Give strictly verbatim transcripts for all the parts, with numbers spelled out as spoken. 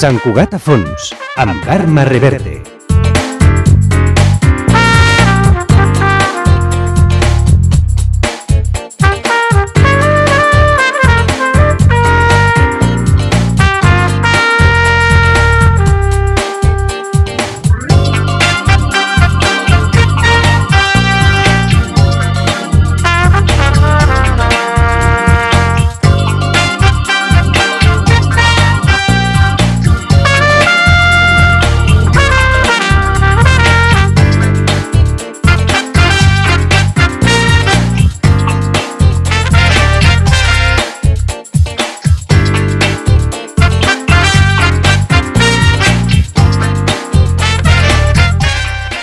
Sant Cugat a fons, amb Carme Reverte.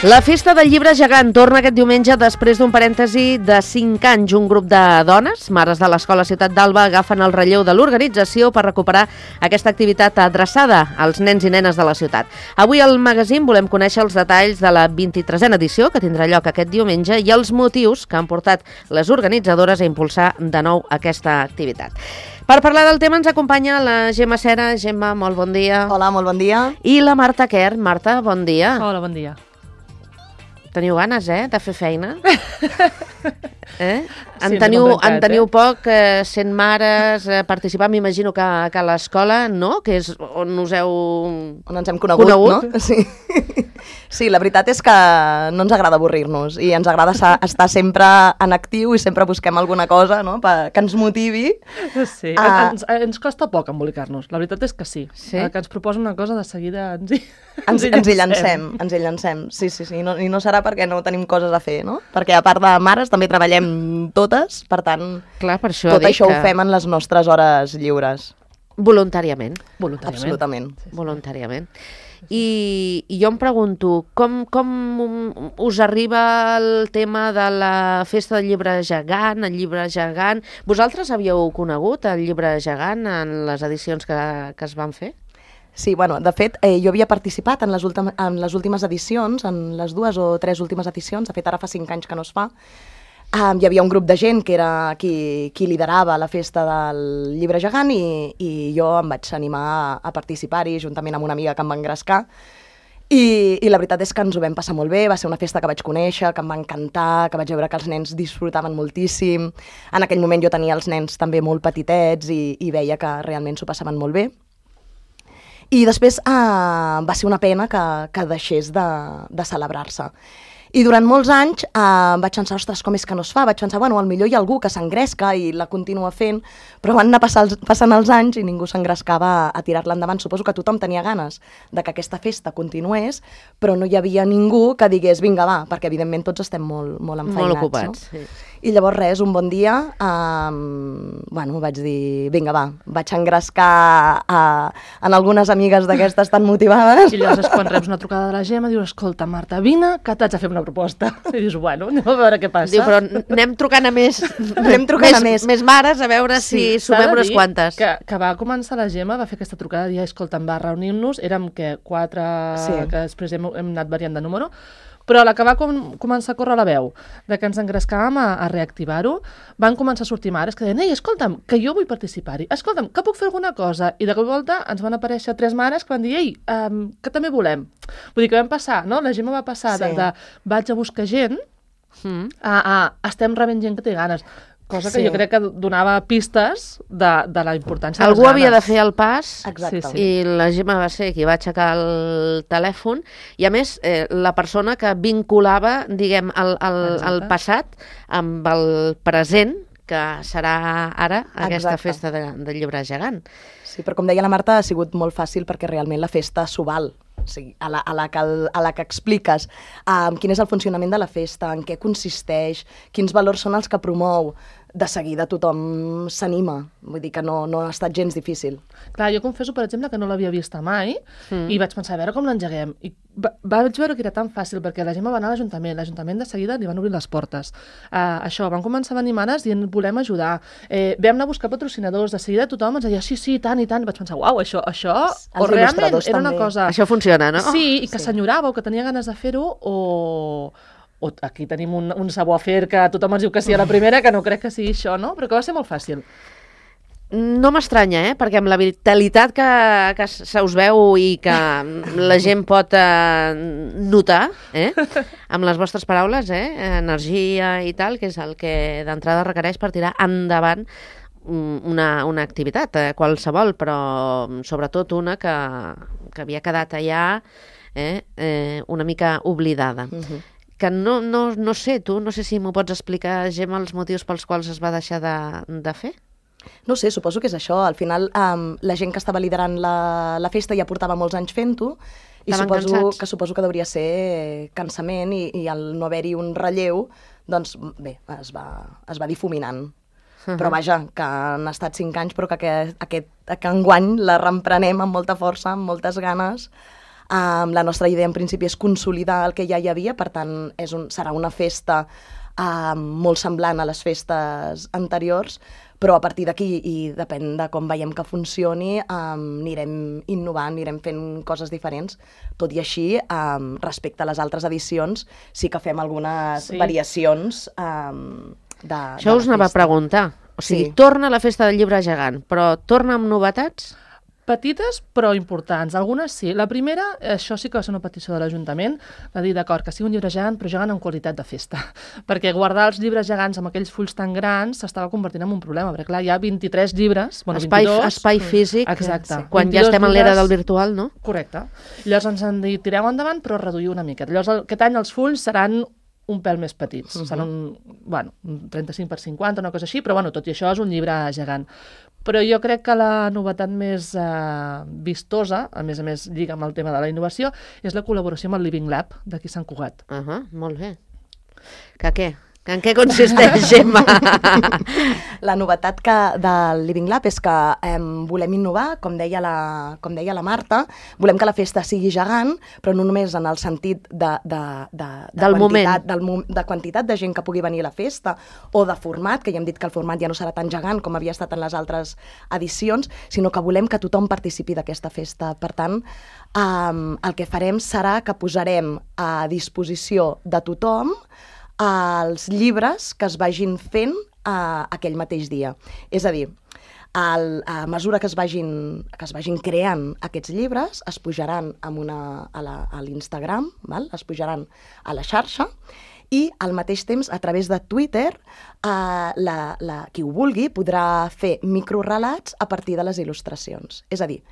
La Festa del Llibre Gegant torna aquest diumenge després d'un parèntesi de cinc anys. Un grup de dones, mares de l'Escola Ciutat d'Alba, agafen el relleu de l'organització per recuperar aquesta activitat adreçada als nens i nenes de la ciutat. Avui al magazín volem conèixer els detalls de la vint-i-tresena edició, que tindrà lloc aquest diumenge, i els motius que han portat les organitzadores a impulsar de nou aquesta activitat. Per parlar del tema ens acompanya la Gemma Cera. Gemma, molt bon dia. Hola, molt bon dia. I la Marta Quer. Marta, bon dia. Hola, bon dia. Teniu ganes, eh, de fer feina? Eh? En, Sí, teniu, m'he complicat, en teniu eh? poc, eh, sent mares, eh, participar, m'imagino que, que a l'escola, no? Que és on us heu... On ens hem conegut, Conegut? no? Sí. Sí, la veritat és que no ens agrada avorrir-nos i ens agrada estar sempre en actiu i sempre busquem alguna cosa, no?, que ens motivi. Sí, Ah. ens, ens costa poc embolicar-nos, la veritat és que sí. Sí? El que ens proposa una cosa, de seguida ens hi, Ens, ens hi llancem, ens hi llancem, sí, sí, sí, I no, i no serà perquè no tenim coses a fer, no? Perquè a part de mares també treballem totes, per tant, Clar, per això tot dic això que... ho fem en les nostres hores lliures. Voluntàriament. Voluntàriament. Absolutament. Voluntàriament. I, i jo em pregunto, com, com us arriba el tema de la Festa del Llibre Gegant, el Llibre Gegant? Vosaltres havíeu conegut el Llibre Gegant en les edicions que, que es van fer? Sí, bueno, de fet, eh, jo havia participat en les, últim, en les últimes edicions, en les dues o tres últimes edicions, de fet ara fa cinc anys que no es fa. Um, hi havia un grup de gent que era qui, qui liderava la festa del Llibre Gegant i, i jo em vaig animar a, a participar-hi juntament amb una amiga que em va engrescar. I, I la veritat és que ens ho vam passar molt bé, va ser una festa que vaig conèixer, que em va encantar, que vaig veure que els nens disfrutaven moltíssim. En aquell moment jo tenia els nens també molt petitets i, i veia que realment s'ho passaven molt bé. I després eh, va ser una pena que, que deixés de, de celebrar-se. I durant molts anys eh, vaig pensar, ostres, com és que no es fa? Vaig pensar, bueno, potser hi ha algú que s'engresca i la continua fent, però van anar passar els, passant els anys i ningú s'engrescava a, a tirar-la endavant. Suposo que tothom tenia ganes de que aquesta festa continués, però no hi havia ningú que digués, vinga, va, perquè evidentment tots estem molt, molt enfeinats. Molt ocupats, no? sí. I llavors res, un bon dia, um, bueno, vaig dir, vinga, va, vaig engrescar uh, en algunes amigues d'aquestes tan motivades. I llavors és quan reps una trucada de la Gemma, dius, escolta, Marta, vine, que t'haig de fer una proposta. I dius, bueno, anem a veure què passa. Diu, però anem trucant a més, Anem trucant més, a més. més mares a veure si s'ha sumem de unes dir quantes. Que, que va començar la Gemma, va fer aquesta trucada, i escolta, em va reunir-nos, érem, què, quatre, Sí. que després hem, hem anat variant de número, però a la que va com, començar a córrer la veu, de que ens engrescàvem a, a reactivar-ho, van començar a sortir mares que deien, ei, escolta'm, que jo vull participar-hi, escolta'm, que puc fer alguna cosa? I de cop i volta ens van aparèixer tres mares que van dir, ei, um, que també volem. Vull dir que vam passar, no? La Gemma va passar Sí. de, de vaig a buscar gent Mm. a, a estem rebent gent que té ganes. Cosa que Sí. jo crec que donava pistes de, de la importància de les Algú havia de ganes. fer el pas. Exacte. Sí, sí. I la Gemma va ser qui va aixecar el telèfon i, a més, eh, la persona que vinculava, diguem, el, el, el Exacte. passat amb el present, que serà ara aquesta Exacte. festa de, del Llibre Gegant. Sí, però com deia la Marta, ha sigut molt fàcil perquè realment la festa s'ho val. O sigui, a la, a la, que, el- a la que expliques um, quin és el funcionament de la festa, en què consisteix, quins valors són els que promou, de seguida tothom s'anima. Vull dir que no, no ha estat gens difícil. Clar, jo confesso, per exemple, que no l'havia vista mai Mm. i vaig pensar, a veure com l'engeguem. I va, vaig veure que era tan fàcil, perquè la Gemma va anar a l'Ajuntament, l'Ajuntament de seguida li van obrir les portes. Uh, això, van començar a venir mares dient, volem ajudar. Eh, vam anar a buscar patrocinadors, de seguida tothom ens deia, sí, sí, tant i tant. I vaig pensar, uau, això, això Els o realment il·lustradors era una també. cosa... Això funciona, no? Sí, i que Sí. s'enyorava o que tenia ganes de fer-ho, o... o aquí tenim un, un savoir-faire que tothom ens diu que sí a la primera, que no crec que sigui això, no? Però que va ser molt fàcil. No m'estranya, eh? Perquè amb la vitalitat que, que se us veu i que la gent pot eh, notar, eh? Amb les vostres paraules, eh? Energia i tal, que és el que d'entrada requereix per tirar endavant una, una activitat, eh? Qualsevol, però sobretot una que, que havia quedat allà eh? Eh, una mica oblidada. Uh-huh. Que no, no, no sé, tu, no sé si m'ho pots explicar, Gemma, els motius pels quals es va deixar de, de fer? No sé, suposo que és això. Al final, um, la gent que estava liderant la, la festa ja portava molts anys fent-ho i suposo cansats. que suposo que hauria ser cansament i, i al no haver-hi un relleu, doncs bé, es va, es va difuminant. Uh-huh. Però vaja, que han estat cinc anys, però que aquest, aquest, que enguany la reemprenem amb molta força, amb moltes ganes. Um, la nostra idea en principi és consolidar el que ja hi havia, per tant és un, serà una festa um, molt semblant a les festes anteriors, però a partir d'aquí, i depèn de com veiem que funcioni, um, anirem innovant, anirem fent coses diferents. Tot i així, um, respecte a les altres edicions, sí que fem algunes sí. variacions um, de, Això de us anava a preguntar. O sigui, sí. torna la festa del llibre gegant, però torna amb novetats? Petites, però importants. Algunes sí. La primera, això sí que va ser una petició de l'Ajuntament, de dir, d'acord, que sigui un llibre gegant, però gegant amb qualitat de festa. Perquè guardar els llibres gegants amb aquells fulls tan grans s'estava convertint en un problema, perquè clar, hi ha vint-i-tres llibres, bueno, espai, vint-i-dos... Espai físic, exacte. Sí. Quan ja estem en l'era del virtual, no? Correcte. Llavors ens han dit, tireu endavant, però reduir una miqueta. Llavors, aquest any els fulls seran un pèl més petits. Uh-huh. Seran un, bueno, un trenta-cinc per cinquanta, una cosa així, però bueno, tot i això és un llibre gegant. Però jo crec que la novetat més eh, vistosa, a més a més lliga amb el tema de la innovació, és la col·laboració amb el Living Lab d'aquí Sant Cugat. Uh -huh, molt bé. Que què? En què consisteix, Gemma? La novetat que, del Living Lab és que eh, volem innovar, com deia, la, com deia la Marta, volem que la festa sigui gegant, però no només en el sentit de, de, de, de, del quantitat, moment. Del, de quantitat de gent que pugui venir a la festa, o de format, que ja hem dit que el format ja no serà tan gegant com havia estat en les altres edicions, sinó que volem que tothom participi d'aquesta festa. Per tant, eh, el que farem serà que posarem a disposició de tothom els llibres que es vagin fent uh, aquell mateix dia. És a dir, el, a mesura que es, vagin, que es vagin creant aquests llibres, es pujaran amb una, a l'Instagram, es pujaran a la xarxa, i al mateix temps, a través de Twitter, eh, la, la, qui ho vulgui podrà fer microrelats a partir de les il·lustracions. És a dir,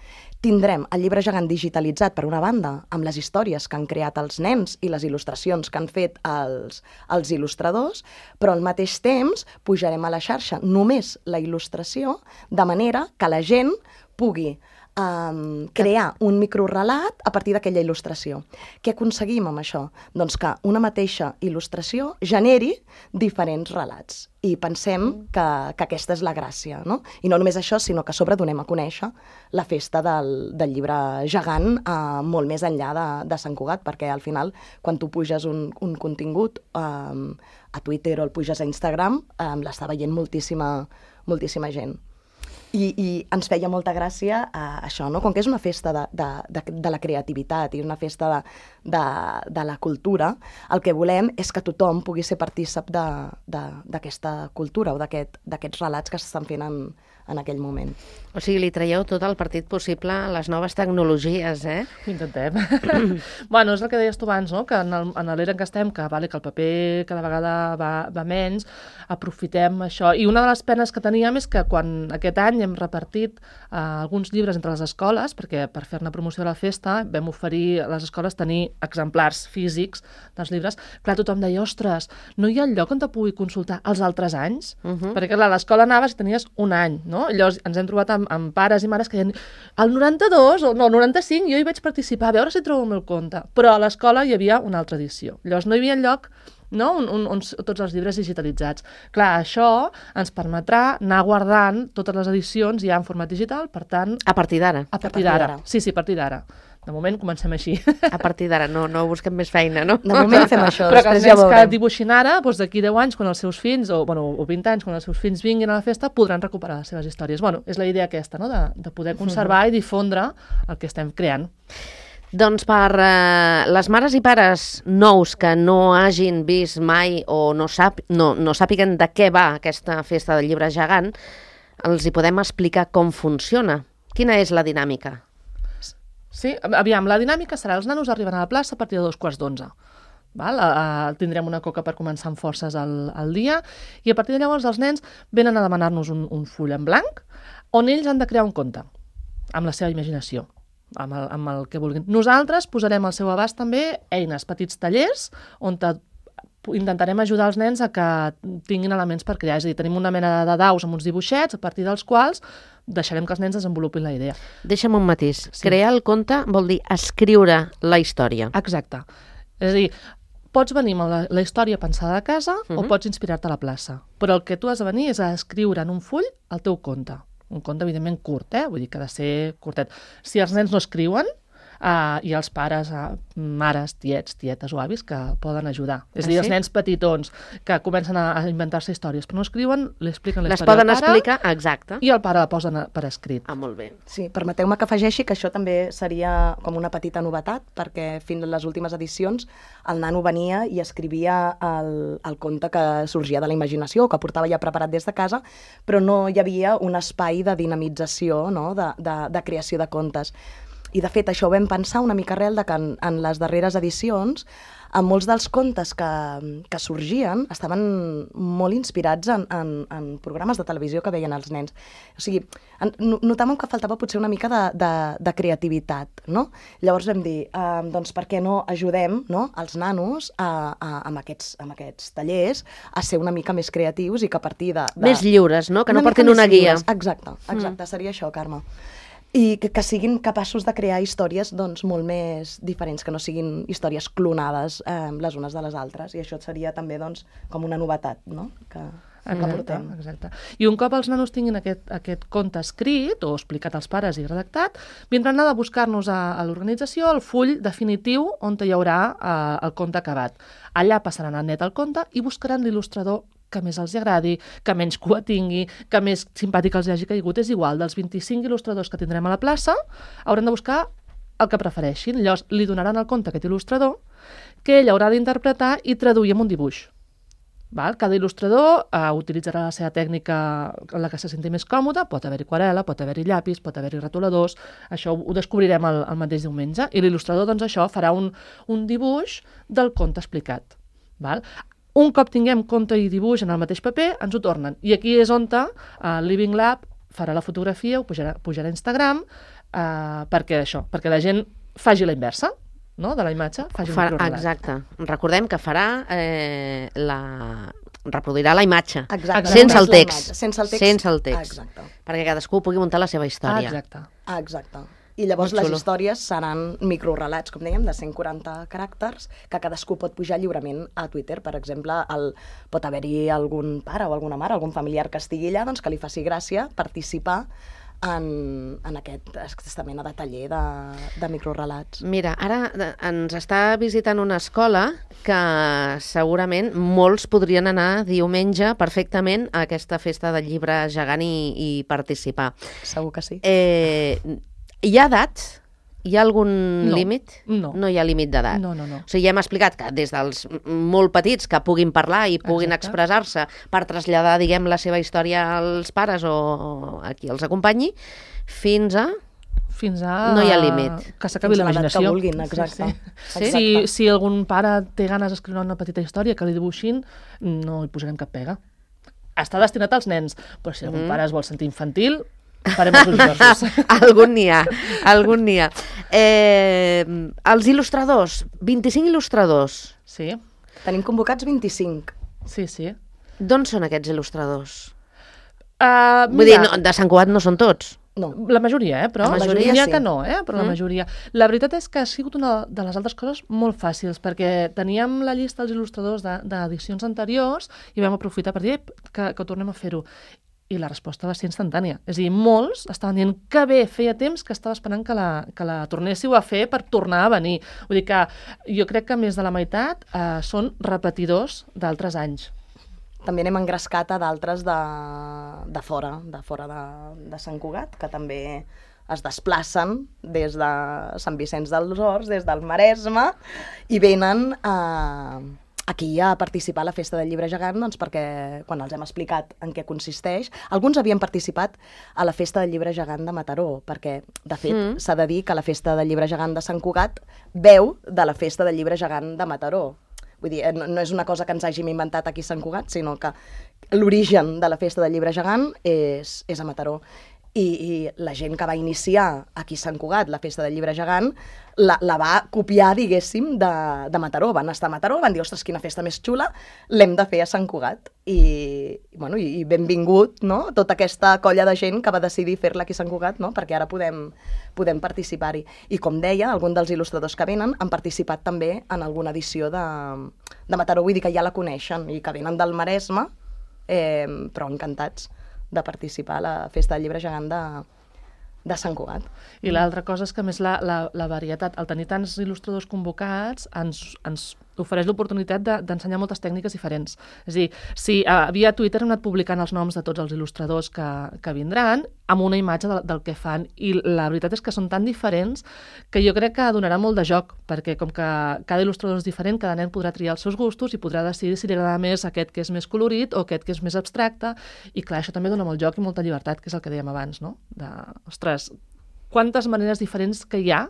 tindrem el llibre gegant digitalitzat, per una banda, amb les històries que han creat els nens i les il·lustracions que han fet els, els il·lustradors, però al mateix temps pujarem a la xarxa només la il·lustració, de manera que la gent pugui Um, crear un microrelat a partir d'aquella il·lustració. Què aconseguim amb això? Doncs que una mateixa il·lustració generi diferents relats. I pensem que, que aquesta és la gràcia, no? I no només això, sinó que a sobre donem a conèixer la festa del, del llibre gegant uh, molt més enllà de, de Sant Cugat, perquè al final, quan tu puges un, un contingut um, a Twitter o el puges a Instagram, um, l'està veient moltíssima, moltíssima gent. I, i ens feia molta gràcia uh, això, no? Com que és una festa de, de, de, de la creativitat i una festa de, de, de la cultura, el que volem és que tothom pugui ser partícip d'aquesta cultura o d'aquests aquest, relats que s'estan fent en, en aquell moment. O sigui, li traieu tot el partit possible a les noves tecnologies, eh? Ho intentem. Bueno, és el que deies tu abans, no? Que en l'era en què estem, que, vale, que el paper cada vegada va, va menys, aprofitem això. I una de les penes que teníem és que quan aquest any hem repartit eh, alguns llibres entre les escoles, perquè per fer-ne promoció de la festa vam oferir a les escoles tenir exemplars físics dels llibres, clar, tothom deia, ostres, no hi ha lloc on te pugui consultar els altres anys? Uh-huh. Perquè clar, a l'escola anaves i tenies un any, no? Llavors ens hem trobat amb, amb pares i mares que deien, el noranta-dos o no, el noranta-cinc jo hi vaig participar, a veure si trobo el meu compte. Però a l'escola hi havia una altra edició. Llavors no hi havia lloc, no? on, on, on tots els llibres digitalitzats. Clar, això ens permetrà anar guardant totes les edicions ja en format digital, per tant... A partir d'ara. A partir d'ara. Sí, sí, a partir d'ara. De moment comencem així. A partir d'ara, no, no busquem més feina, no? De moment fem això, però que els ja nens que dibuixin ara, doncs d'aquí deu anys, quan els seus fills, o, bueno, o vint anys, quan els seus fills vinguin a la festa, podran recuperar les seves històries. Bueno, és la idea aquesta, no?, de, de poder conservar uh-huh. i difondre el que estem creant. Doncs per eh, les mares i pares nous que no hagin vist mai o no, sap, no, no sàpiguen de què va aquesta festa del llibre gegant, els hi podem explicar com funciona. Quina és la dinàmica? Sí, aviam, la dinàmica serà els nanos arriben a la plaça a partir de dos quarts d'onze. Val? Uh, tindrem una coca per començar amb forces al, al dia i a partir de llavors els nens venen a demanar-nos un, un full en blanc on ells han de crear un conte amb la seva imaginació, amb el, amb el que vulguin. Nosaltres posarem al seu abast també eines, petits tallers on te, intentarem ajudar els nens a que tinguin elements per crear. És a dir, tenim una mena de daus amb uns dibuixets a partir dels quals deixarem que els nens desenvolupin la idea. Deixa'm un matís. Sí. Crear el conte vol dir escriure la història. Exacte. És a dir, pots venir amb la, la història pensada a casa uh -huh. o pots inspirar-te a la plaça. Però el que tu has de venir és a escriure en un full el teu conte. Un conte, evidentment, curt, eh? Vull dir que ha de ser curtet. Si els nens no escriuen, uh, hi ha els pares, uh, mares, tiets, tietes o avis que poden ajudar. És a dir, Ah, els sí? nens petitons que comencen a, a inventar-se històries, però no escriuen, li expliquen la Les història poden al pare explicar, exacte. i el pare la posen a- per escrit. Ah, molt bé. Sí, permeteu-me que afegeixi que això també seria com una petita novetat, perquè fins a les últimes edicions el nano venia i escrivia el, el conte que sorgia de la imaginació o que portava ja preparat des de casa, però no hi havia un espai de dinamització, no? de, de, de creació de contes. I, de fet, això ho vam pensar una mica arrel de que en, en les darreres edicions en molts dels contes que, que sorgien estaven molt inspirats en, en, en programes de televisió que veien els nens. O sigui, en, no- notàvem que faltava potser una mica de, de, de creativitat, no? Llavors vam dir, eh, doncs per què no ajudem, no, els nanos a, a, amb, aquests, amb aquests tallers a ser una mica més creatius i que a partir de... de Més lliures, no? Que no mica portin més una guia. lliures. Exacte, exacte, mm. seria això, Carme. I que, que siguin capaços de crear històries doncs, molt més diferents, que no siguin històries clonades eh, les unes de les altres. I això seria també doncs, com una novetat, no? que, que Exacte, portem. exacte. I un cop els nanos tinguin aquest, aquest conte escrit o explicat als pares i redactat, vindran a buscar-nos a, a l'organització el full definitiu on hi haurà eh, el conte acabat. Allà passaran a net el conte i buscaran l'il·lustrador que més els agradi, que menys cua tingui, que més simpàtic els hagi caigut. És igual, dels vint-i-cinc il·lustradors que tindrem a la plaça, hauran de buscar el que prefereixin. Llavors, li donaran el conte a aquest il·lustrador, que ell haurà d'interpretar i traduir en un dibuix. Val? Cada il·lustrador uh, utilitzarà la seva tècnica en la que se senti més còmode, pot haver-hi aquarel·la, pot haver-hi llapis, pot haver-hi retoladors, això ho, ho descobrirem el, el mateix diumenge, i l'il·lustrador, doncs això, farà un, un dibuix del conte explicat. Val? Un cop tinguem conte i dibuix en el mateix paper, ens ho tornen. I aquí és on el uh, Living Lab farà la fotografia, ho pujarà, pujarà a Instagram, uh, perquè això, perquè la gent faci la inversa, no?, de la imatge, faci un Farà, microrelat. exacte. Recordem que farà eh, la... reproduirà la imatge. Exacte. Sense el Només la text. imatge, sense el text. Sense el text. Exacte. Perquè cadascú pugui muntar la seva història. Exacte. Ah, exacte. I llavors Molt les xulo. històries seran microrelats, com dèiem, de cent quaranta caràcters, que cadascú pot pujar lliurement a Twitter. Per exemple, el, pot haver-hi algun pare o alguna mare, algun familiar que estigui allà, doncs que li faci gràcia participar en, en aquest, aquesta mena de taller de, de microrelats. Mira, ara eh, ens està visitant una escola que segurament molts podrien anar diumenge perfectament a aquesta festa del llibre gegant i, i participar. Segur que sí. Eh, hi ha edats? Hi ha algun No, límit? no. No hi ha límit d'edat. No, no, no. O sigui, ja hem explicat que des dels molt petits que puguin parlar i puguin Exacte. expressar-se per traslladar, diguem, la seva història als pares o a qui els acompanyi, fins a... Fins a... No hi ha límit. Que s'acabi Fins a l'edat l'imaginació. que vulguin, exacte. Sí? Exacte. Si, si algun pare té ganes d'escriure una petita història que li dibuixin, no hi posarem cap pega. Està destinat als nens, però si algun Mm. pare es vol sentir infantil, farem els ulls grossos. algun n'hi ha, algun n'hi ha. Eh, els il·lustradors, vint-i-cinc il·lustradors. Sí, Tenim convocats vint-i-cinc. sí, sí. D'on són aquests il·lustradors? Uh, Vull dir, no, de Sant Cugat no són tots. No. La majoria, eh? Però La majoria n'hi ha sí. que no, eh? Però Mm. la majoria. La veritat és que ha sigut una de les altres coses molt fàcils, perquè teníem la llista dels il·lustradors de- d'edicions anteriors i vam aprofitar per dir "Ep, que, que tornem a fer-ho. I la resposta va ser instantània. És a dir, molts estaven dient que bé, feia temps que estava esperant que la, que la tornéssiu a fer per tornar a venir. Vull dir que jo crec que més de la meitat eh, són repetidors d'altres anys. També n'hem engrescat a d'altres de, de fora, de fora de, de Sant Cugat, que també es desplacen des de Sant Vicenç dels Horts, des del Maresme, i venen a, aquí a participar a la Festa del Llibre Gegant, doncs perquè quan els hem explicat en què consisteix, alguns havien participat a la Festa del Llibre Gegant de Mataró, perquè, de fet, mm. s'ha de dir que la Festa del Llibre Gegant de Sant Cugat veu de la Festa del Llibre Gegant de Mataró. Vull dir, no, no és una cosa que ens hàgim inventat aquí a Sant Cugat, sinó que l'origen de la Festa del Llibre Gegant és, és a Mataró. I, i la gent que va iniciar aquí a Sant Cugat la Festa del Llibre Gegant la, la va copiar, diguéssim, de, de Mataró. Van estar a Mataró, van dir, ostres, quina festa més xula, l'hem de fer a Sant Cugat. I, bueno, i benvingut, no?, tota aquesta colla de gent que va decidir fer-la aquí a Sant Cugat, no?, perquè ara podem, podem participar-hi. I com deia, algun dels il·lustradors que venen han participat també en alguna edició de, de Mataró, vull dir que ja la coneixen i que venen del Maresme, eh, però encantats de participar a la Festa del Llibre Gegant de, de Sant Cugat. I l'altra cosa és que, a més, la, la, la varietat, el tenir tants il·lustradors convocats, ens, ens ofereix l'oportunitat de, d'ensenyar moltes tècniques diferents. És a dir, si uh, via Twitter hem anat publicant els noms de tots els il·lustradors que, que vindran amb una imatge de, del que fan, i la veritat és que són tan diferents que jo crec que donarà molt de joc, perquè com que cada il·lustrador és diferent, cada nen podrà triar els seus gustos i podrà decidir si li agrada més aquest que és més colorit o aquest que és més abstracte, i clar, això també dona molt joc i molta llibertat, que és el que dèiem abans, no? De, ostres, quantes maneres diferents que hi ha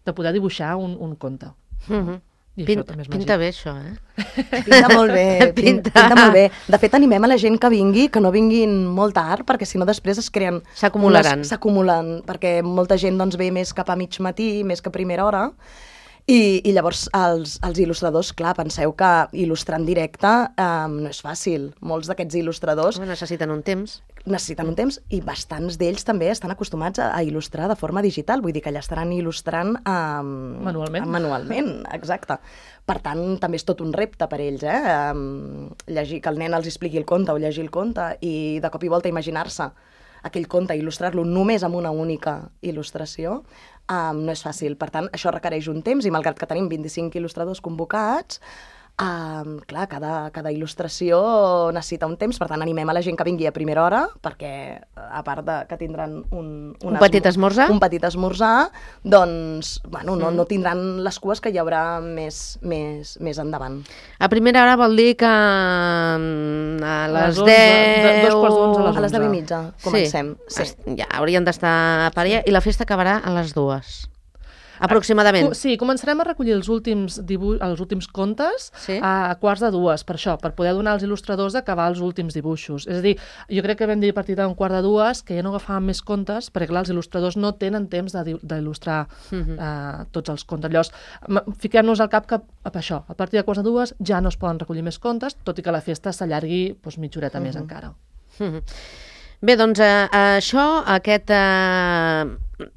de poder dibuixar un, un conte. Mm-hmm. I Pin, això també és pinta màgic. bé, això, eh? Pinta molt bé, pinta. Pinta. pinta molt bé. De fet, animem a la gent que vingui, que no vinguin molt tard, perquè si no després es creen... S'acumularan. unes- S'acumulen, perquè molta gent doncs, ve més cap a mig matí, més que a primera hora, i, i llavors els, els il·lustradors, clar, penseu que il·lustrar en directe eh, no és fàcil. Molts d'aquests il·lustradors Home, necessiten un temps. necessiten un temps, i bastants d'ells també estan acostumats a, a il·lustrar de forma digital, vull dir que allà estaran il·lustrant um, Manualment. manualment, exacte. Per tant, també és tot un repte per ells, eh? Um, llegir, que el nen els expliqui el conte o llegir el conte i de cop i volta imaginar-se aquell conte i il·lustrar-lo només amb una única il·lustració, um, no és fàcil. Per tant, això requereix un temps, i malgrat que tenim vint-i-cinc il·lustradors convocats, Um, clar, cada, cada il·lustració necessita un temps, per tant animem a la gent que vingui a primera hora, perquè a part de que tindran un, Un petit esmorzar. un petit esmorzar, doncs bueno, no, no tindran les cues que hi haurà més, més, més endavant. A primera hora vol dir que mm, a les les onze, deu... de- dos quarts d'onze a les A les deu i onze. mitja comencem. Sí. Sí. Ja haurien d'estar per allà, i la festa acabarà a les dues. Aproximadament. Sí, començarem a recollir els últims, dibuix, els últims contes Sí. a quarts de dues, per això, per poder donar als il·lustradors d'acabar els últims dibuixos. És a dir, jo crec que vam dir a partir d'un quart de dues que ja no agafàvem més contes, perquè clar, els il·lustradors no tenen temps de- d'il·lustrar Mhm. uh, tots els contes. Llavors, m- fiquem-nos al cap que a això, a partir de quarts de dues ja no es poden recollir més contes, tot i que la festa s'allargui doncs, mitja horeta més encara. Mhm. Bé, doncs eh, això, aquest eh,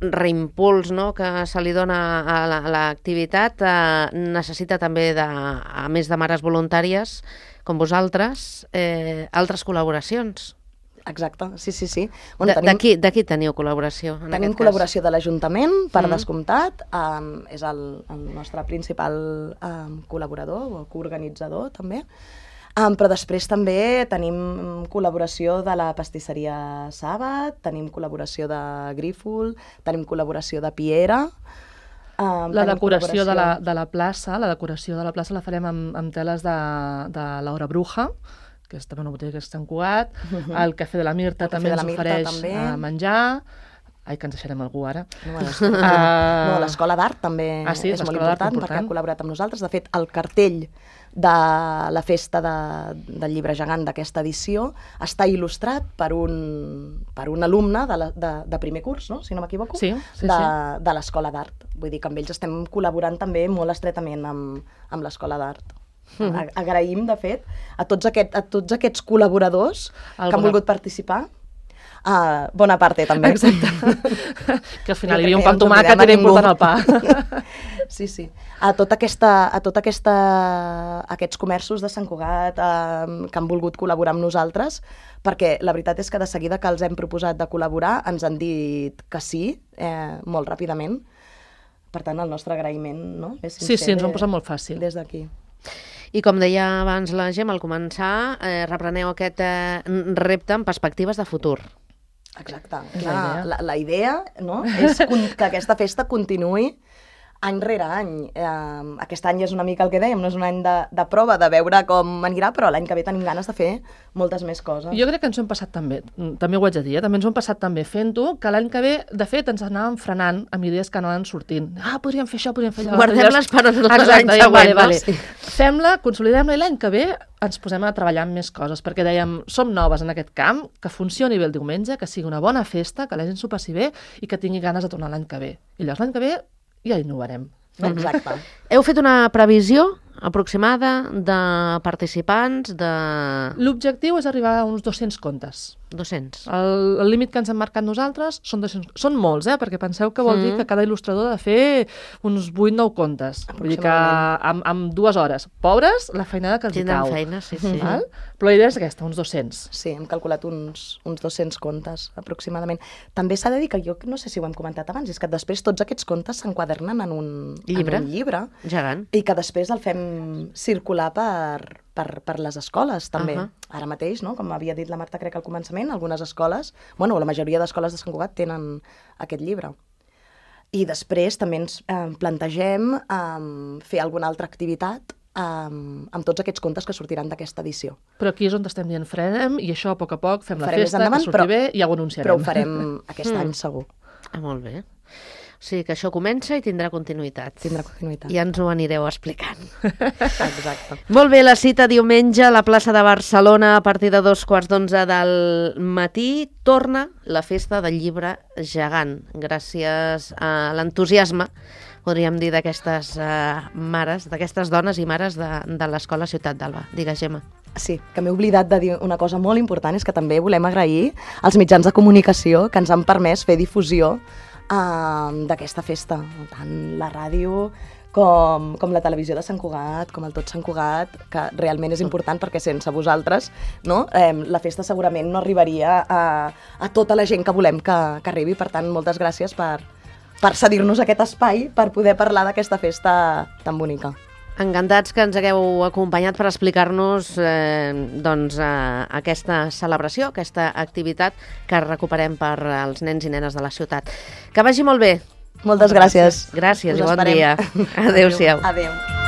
reimpuls, no?, que se li dona a la- a l'activitat eh, necessita també, de, a més de mares voluntàries com vosaltres, eh, altres col·laboracions. Exacte, sí, sí, sí. De, de, qui, de qui teniu col·laboració? En Tenim aquest col·laboració de l'Ajuntament, per Mm. mm. descomptat. Um, és el, el nostre principal um, col·laborador o coorganitzador, també. Um, però després també tenim col·laboració de la pastisseria Sàbat, tenim col·laboració de Grífol, tenim col·laboració de Piera. Um, La tenim decoració de la, col·laboració- de la plaça, la decoració de la plaça la farem amb, amb teles de, de l'Hora Bruja, que és també una botiga que és Sant Cugat. El Cafè de la Mirta El Cafè també de la ens Mirta ofereix també. a menjar. Ai, que ens deixarem algú ara. No, a l'escola Ah. no, l'Escola d'Art també Ah, sí? és molt l'Escola d'Art, important, important. perquè ha col·laborat amb nosaltres. De fet, el cartell de la festa de, del Llibre Gegant d'aquesta edició està il·lustrat per un, per un alumne de, la, de, de primer curs, no? Si no m'equivoco, Sí, sí, de, sí. de l'Escola d'Art. Vull dir que amb ells estem col·laborant també molt estretament amb, amb l'Escola d'Art. Mhm. Agraïm, de fet, a tots, aquest, a tots aquests col·laboradors El que han bona- volgut participar. Uh, bona parte, també. Exacte. Que al final hi havia un Jo pa crec amb que no ens tomàquet, era oblidem a important el pa. Sí, sí. A tota aquesta, a tota aquesta, aquests comerços de Sant Cugat eh, que han volgut col·laborar amb nosaltres, perquè la veritat és que de seguida que els hem proposat de col·laborar ens han dit que sí, eh, molt ràpidament. Per tant, el nostre agraïment, no? És Sí, sí, sincer ens ho han de- posat molt fàcil. Des d'aquí. I com deia abans la Gemma, al començar, eh, repreneu aquest eh, repte amb perspectives de futur. Exacte. És la Clar, idea. la, la idea no? és con- que aquesta festa continuï any rere any. Eh, aquest any és una mica el que dèiem, no és un any de, de prova, de veure com anirà, però l'any que ve tenim ganes de fer moltes més coses. Jo crec que ens ho hem passat tan bé, també ho haig de dir, eh? també ens ho hem passat tan bé fent-ho, que l'any que ve, de fet, ens anàvem frenant amb idees que anaven sortint. Ah, podríem fer això, podríem fer allò. Guardem-les per als anys Exacte, següents. Vale, vale. Sí. Fem-la, consolidem-la i l'any que ve ens posem a treballar en més coses, perquè dèiem, som noves en aquest camp, que funcioni bé el diumenge, que sigui una bona festa, que la gent s'ho passi bé i que tingui ganes de tornar l'any que ve. I llavors l'any que ve ja innovarem. Exacte. Heu fet una previsió aproximada de participants, de... L'objectiu és arribar a uns dos-cents contes. dos-cents. El, el límit que ens hem marcat nosaltres són dos-cents. Són molts, eh? Perquè penseu que vol Mm. dir que cada il·lustrador ha de fer uns vuit nou contes. Vull dir que amb, amb dues hores. Pobres, la feinada que els hi Tindran cau. feina, sí, sí. Val? Però la idea és aquesta, uns dos-cents. Sí, hem calculat uns, uns dos-cents contes, aproximadament. També s'ha de dir que jo no sé si ho hem comentat abans, és que després tots aquests contes s'enquadernen en un Llibre. En un llibre Gegant. i que després el fem circular per, per, per les escoles, també. Ahà. Ara mateix, no? Com havia dit la Marta, crec, al començament, algunes escoles, bueno, la majoria d'escoles de Sant Cugat tenen aquest llibre. I després també ens eh, plantegem eh, fer alguna altra activitat amb, amb tots aquests contes que sortiran d'aquesta edició. Però aquí és on estem dient frenem i això a poc a poc fem la Farem més festa, endavant, que surti però- bé i ja ho anunciarem. Però ho farem aquest Mm. any segur. Ah, molt bé. O sigui que això comença i tindrà continuïtat. Tindrà continuïtat. Ja ens ho anireu explicant. Exacte. Molt bé, la cita diumenge a la plaça de Barcelona a partir de dos quarts d'onze del matí torna la festa del llibre gegant. Gràcies a l'entusiasme, podríem dir, d'aquestes uh, mares, d'aquestes dones i mares de, de l'Escola Ciutat d'Alba. Digues, Gemma. Sí, que m'he oblidat de dir una cosa molt important, és que també volem agrair als mitjans de comunicació que ens han permès fer difusió uh, d'aquesta festa. Tant la ràdio com, com la televisió de Sant Cugat, com el Tot Sant Cugat, que realment és important perquè sense vosaltres, no? eh, la festa segurament no arribaria a, a tota la gent que volem que, que arribi. Per tant, moltes gràcies per, per cedir-nos aquest espai per poder parlar d'aquesta festa tan bonica. Encantats que ens hagueu acompanyat per explicar-nos eh, doncs, eh, aquesta celebració, aquesta activitat que recuperem per als nens i nenes de la ciutat. Que vagi molt bé. Moltes gràcies. Gràcies Us i bon esperem. dia. Adéu-siau. Adéu.